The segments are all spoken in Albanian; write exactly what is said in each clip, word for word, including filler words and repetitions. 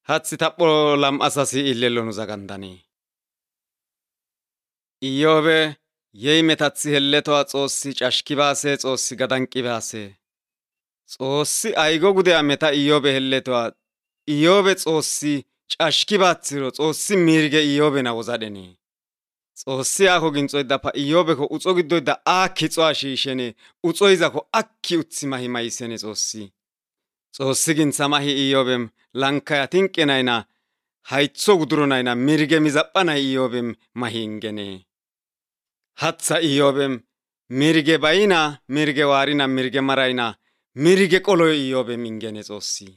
Hathi tapho lam"asasi illellonu zagandanii. Iyyoobe yey metathi helletoa Xoossi cashkibaase Xoossi gadanqibaase. Xoossi aygo gudeya meta Iyyoobe helletoa Iyyoobe Xoossi cashkibaathiro Xoossi mirge Iyyoobe na wozadhene. Xoossi aako ginxoydapa Iyyoobeko uxo giddoyda aakki xoa shiishene uxoyzako akki uthi mahi maysene Xoossi. Xoossi gintha mahi Iyyoobem lankaya tinqe nayna haytho guduro nayna mirge mizapha nay Iyyoobem mahi ingene. Hatha Iyyoobem mirge bayna mirge waarina mirge marayna mirge qoloy Iyyoobem ingene Xoossi.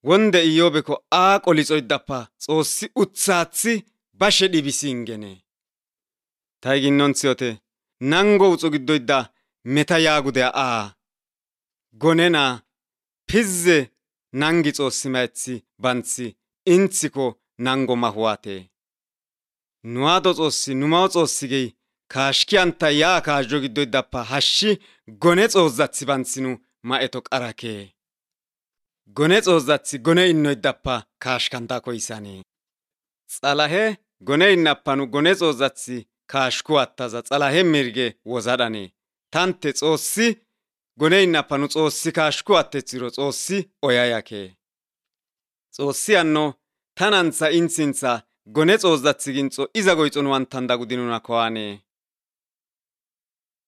Wonde Iyyoobeko aa qolixoydapa Xoossi uthaathi bashe dhibisi ingene. Ta ginnonthiyote nango uxo giddoyda meta yaagudea aa gonena pizze nangi Xoossi mayethi banthi inthiko nango mahuwate. Nuwaado Xoossi numao Xoossi gey kaashkiyanta yaa kaajjo giddoydappa hashshi gone xoozzathi banthinu ma7eto qarake. Gone xoozzathi gone innoydappa kaashkanta koyssane. Xalahe gone innappanu gone xoozzathi kaashku attaza xalahe mirge wozadhane. Tante Xoossi gone innappanu Xoossi kaashku attethiro Xoossi oyayake. Xoossi anno tanantha inthintha gone xoozzathi ginxo iza goyxon wantan dagudinuna koane.